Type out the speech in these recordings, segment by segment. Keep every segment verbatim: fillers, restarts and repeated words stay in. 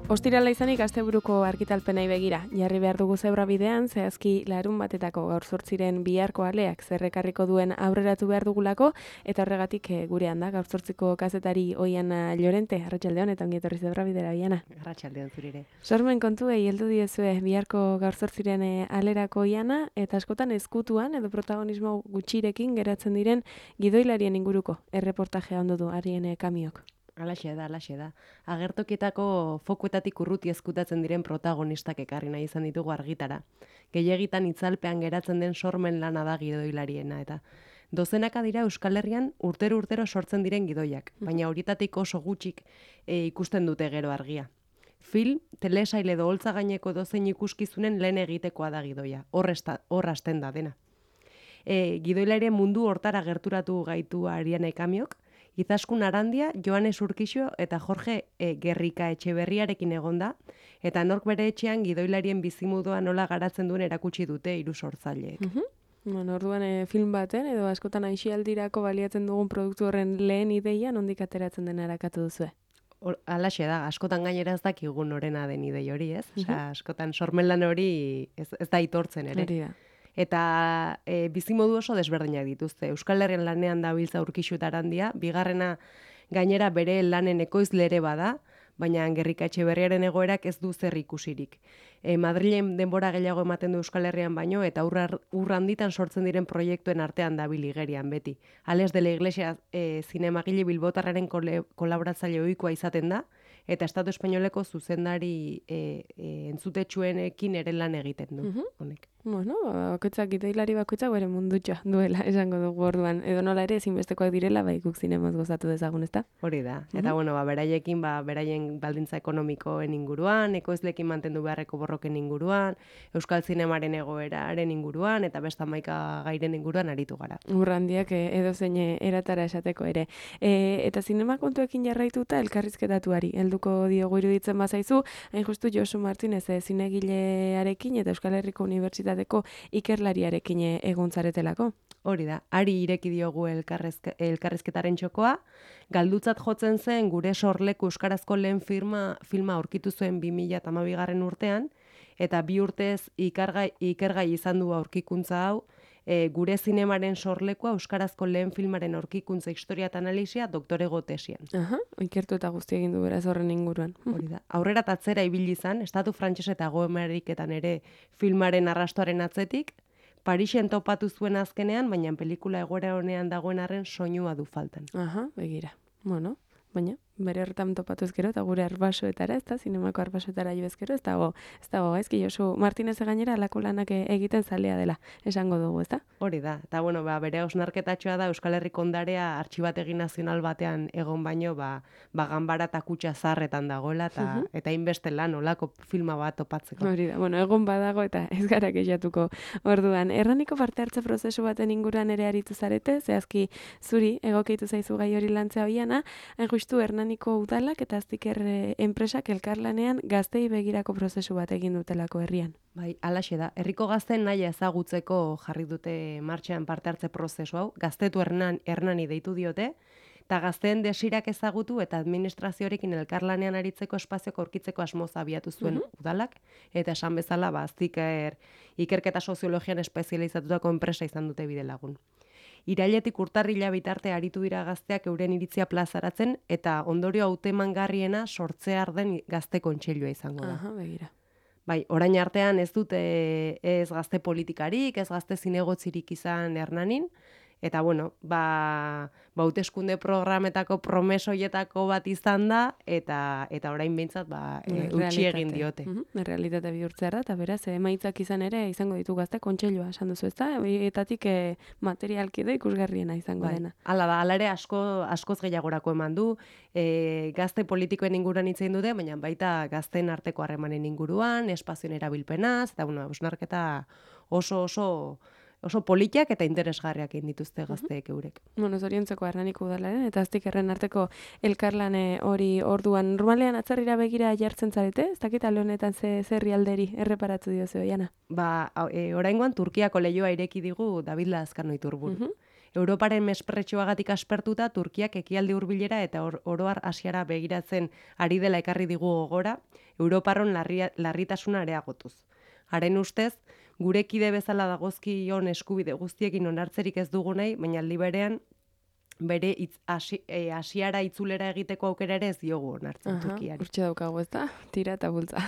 Ostirala izanik asteburuko argitalpenei begira. Jarri behar dugu zebra bidean, zehazki larun batetako gaur zortziren biharko aleak zerrekarriko duen aurreratu behar dugulako, eta horregatik e, gurean da, gaur zortziko kazetari Oiana Llorente, arratsaldeon eta ongi etorri zebra bidera, Oiana. Arratsaldeon zurire. Sormen kontuei heldu diezue biharko gaur zortziren e, alerako Oiana, eta askotan ezkutuan edo protagonismo gutxirekin geratzen diren gidoilarien inguruko erreportajea ondo du harien e, kamiok. Alaxe da, alaxe da. Agertokietako fokuetatik urruti ezkutatzen diren protagonistak ekarri nahi izan ditugu argitara. Gehiegitan itzalpean geratzen den sormen lana da gidoilariena eta dozenaka dira Euskal Herrian urtero urtero sortzen diren gidoiak, baina horietatik oso gutxik e, ikusten dute gero argia. Film, telesail edo holtza gaineko dozein ikuskizunen lehen egitekoa da gidoia, hor hasten da dena. E, gidoilarien mundu hortara gerturatu gaitu Ariane Kamiok, Izaskun Arandia, Joanes Urkixo eta Jorge e, Gerrika Etxeberriarekin egonda, eta nork bere etxean gidoilarien bizimudua nola garatzen duen erakutsi dute hiru sortzaileek. Mhm. Bueno, orduan e, film baten edo askotan aisialdirako baliatzen dugun produktu horren lehen ideia nondik ateratzen dena erakatu duzue? Halaxe da, askotan gainera ez dakigun norena den idei hori, ez? Osea, askotan sormenlan hori ez, ez da aitortzen ere. Hori da. Eta e, bizimodu oso desberdinak dituzte. Euskal Herrian lanean dabiltza Urkixu eta Arandia, bigarrena gainera bere lanen ekoizle ere bada, baina Gerrika Etxeberriaren egoerak ez du zer ikusirik. E, Madrilen denbora gehiago ematen du Euskal Herrian baino, eta ur handitan sortzen diren proiektuen artean dabil igerian beti. Ales de la Iglesia e, zinemagile bilbotarraren kolaboratzaile ohikoa izaten da, eta Estatu Espainoleko zuzendari e, e, entzutetsuenekin ere lan egiten du, Mhm. honek. Bueno, bakoitzak gidoilari bakoitzak bere mundutxoa duela, esango dugu orduan. Edo nola ere ezinbestekoak direla, bai guk zinemoz gozatu dezagun, ezta? Hori da. Eta bueno, ba, beraiekin, ba, beraien baldintza ekonomikoen inguruan, ekoizlekin mantendu beharreko borroken inguruan, Euskal zinemaren egoeraren inguruan, eta beste hamaika gairen inguruan aritu gara. Urrandiak edo zein eratara esateko ere. E, eta zinema kontuekin jarraituta elkarrizketatuari. Helduko diogu iruditzen bazaizu, hain justu Josu Martinez e, zinegilearekin eta Euskal Herriko Unibertsitateko ikerlariarekin egon zaretelako. Hori da, ari ireki diogu elkarrezke, elkarrizketaren txokoa, galdutzat jotzen zen gure sorleku euskarazko lehen firma, filma aurkitu zuen bi mila hamabigarren urtean, eta bi urtez ikergai, ikergai izan du aurkikuntza hau, e, gure zinemaren sorlekoa euskarazko lehen filmaren aurkikuntza historia eta analisia doktorego tesian. Aha, ikertu eta guzti egin du beraz horren inguruan. Hori da. Aurrera tatzera ibili izan, Estatu Frantses eta Hego Ameriketan ere filmaren arrastoaren atzetik, Parisen topatu zuen azkenean, baina pelikula egoera honean dagoen arren soinua du faltan. Aha, begira. Bueno, baina bere horretan topatu ezkero eta gure arbasoetara, ez da, zinemako arbasoetara jo ezkero, ez dago, ez dago, ezki Josu Martinez gainera alako lanak egiten zalea dela, esango dugu, ez da? Hori da, eta bueno, ba, bere hausnarketatxoa da Euskal Herriko ondarea artxibategi nazional batean egon baino, ba, ba ganbara eta kutxa zarretan dagoela, eta, uh-huh. eta inbeste lan olako filma bat topatzeko. Hori da, bueno, egon badago eta ez gara kexatuko orduan. Erraniko parte hartze prozesu baten inguruan ere aritu zarete, zehazki zuri egokeitu zaizu gai hori lantzea Oiana, hain justu Hernaniko udalak eta aztiker enpresak elkarlanean gaztei begirako prozesu bat egin dutelako herrian. Bai, alaxe da. Herriko gazteen nahi ezagutzeko jarri dute martxean parte hartze prozesu hau. Gaztetu Hernan, Hernani deitu diote, eta gazteen desirak ezagutu eta administrazioarekin elkarlanean aritzeko espazioko aurkitzeko asmoz abiatu zuen uh-huh. udalak, eta esan bezala, ba, aztiker ikerketa soziologian espezializatutako enpresa izan dute bide lagun. Irailetik urtarrila bitarte aritu dira gazteak euren iritzia plazaratzen eta ondorio hautemangarriena sortzear den gazte kontseilua izango da. Aha, begira. Bai, orain artean ez dute ez gazte politikarik, ez gazte zinegotzirik izan Hernanin, eta bueno, ba, ba hauteskunde programetako promesoietako bat izan da, eta eta orain behintzat ba, e, utzi egin diote. Uh-huh. Realitate bihurtzea da, eta beraz, emaitzak izan ere izango ditu gazte kontseilua, esan duzu, ezta? Etatik e, materialki da ikusgarriena izango bai, dena. Hala da, hala ere asko, askoz gehiagorako eman du, e, gazte politikoen inguruan hitz egin dute, baina baita gazteen arteko harremanen inguruan, espazioen erabilpenaz, eta bueno, hausnarketa oso oso oso politiak eta interesgarriak egin dituzte gazteek eurek. Bueno, zoriontzeko Hernaniko udalaren eta aztikerren arteko elkarlane hori orduan normalean atzarrira begira jartzen zarete, ez dakit alde honetan ze herrialderi erreparatu diozu Oiana. Ba, e, oraingoan Turkiako leihoa ireki digu David Lazkano Iturburu. Uh-huh. Europaren mespretxoagatik aspertuta, Turkiak ekialde hurbilera eta or, oroar Asiara begiratzen ari dela ekarri digu gogora, Europarron larria, larritasuna areagotuz. Haren ustez, gure kide bezala dagozkion eskubide guztiekin onartzerik ez dugu nahi, baina aldi berean bere itz, asi, e, asiara itzulera egiteko aukera ere ez diogu onartzen Aha, Turkiari. Urtxe daukagu ez da, tira eta bultza.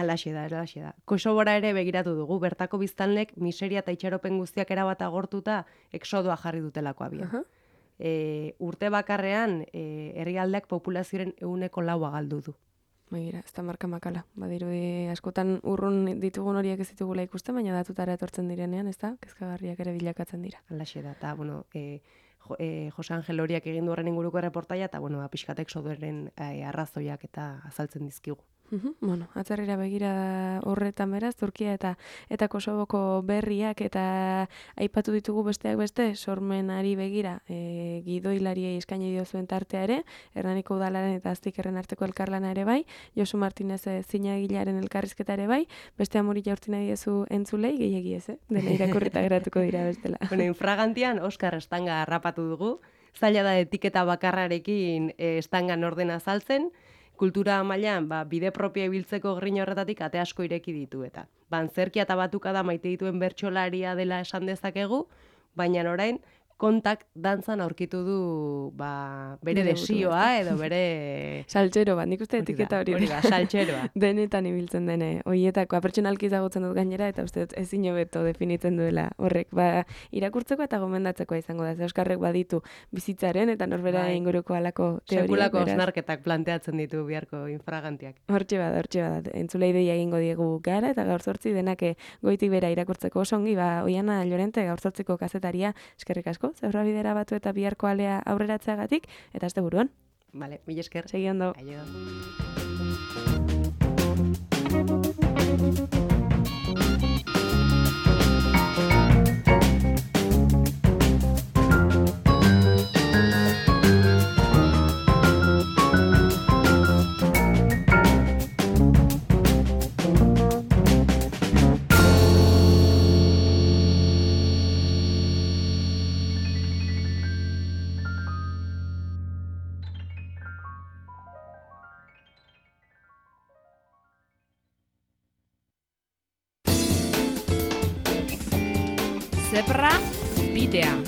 Alaxe da, alaxe da. Kosovora ere begiratu dugu, bertako biztanlek miseria eta itxaropen guztiak erabat agortuta exodoa jarri dutelako abian. Aha. E, urte bakarrean e, herrialdeak populazioaren ehuneko laua galdu du. Begira, ez da marka makala. Badirudi askotan urrun ditugun horiek ez ditugula ikusten, baina datutara etortzen direnean, ez da, kezkagarriak ere bilakatzen dira. Alaxe da, eta, bueno, e, jo, e, Jose Angel horiak egin du horren inguruko erreportaia, eta, bueno, pixkatek sodoren e, arrazoiak eta azaltzen dizkigu. Uhum, bueno, atzerrira begira horretan beraz, Turkia eta eta Kosovoko berriak eta aipatu ditugu besteak beste, sormenari begira e, gidoilariei eskaini diozuen tartea ere, Hernaniko udalaren eta Aztikerren arteko elkarlana ere bai, Josu Martinez zinagilearen elkarrizketa ere bai, beste amori jaurti nahi diezu entzulei, gehiegi ez, eh? Dena irakurrita geratuko dira bestela. Bueno, infragantian Oskar Estanga harrapatu dugu, zaila da etiketa bakarrarekin e, Estangan ordena azaltzen, kultura mailan ba, bide propio ibiltzeko grina horretatik ate asko ireki ditu eta. Bantzerkia eta batuka da maite dituen bertsolaria dela esan dezakegu, baina orain kontak dantzan aurkitu du ba, bere Bere desioa burua, edo bere... Saltxero bat, nik uste etiketa hori. Hori da, saltxeroa. Denetan ibiltzen dene, hoietakoa pertsonalki ezagutzen dut gainera, eta uste dut ezin hobeto definitzen duela horrek. Ba, irakurtzeko eta gomendatzekoa izango da, ze Euskarrek baditu bizitzaren eta norbera Bai. inguruko alako teoria. Sekulako beraz. osnarketak planteatzen ditu biharko infragantiak. Hortxe bada, hortxe bada. Entzulei deia egingo diegu gara, eta gaur zortzi denake goitik bera irakurtzeko oso ongi, ba, Oiana Llorente gaur zortziko kazetaria, eskerrik asko, zeurra bidera batu eta biharko alea aurreratzeagatik, eta azte buruan. Vale, mil esker. Segi ondo. Aio. Zebra bidea.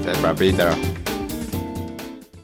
Zebra bidea.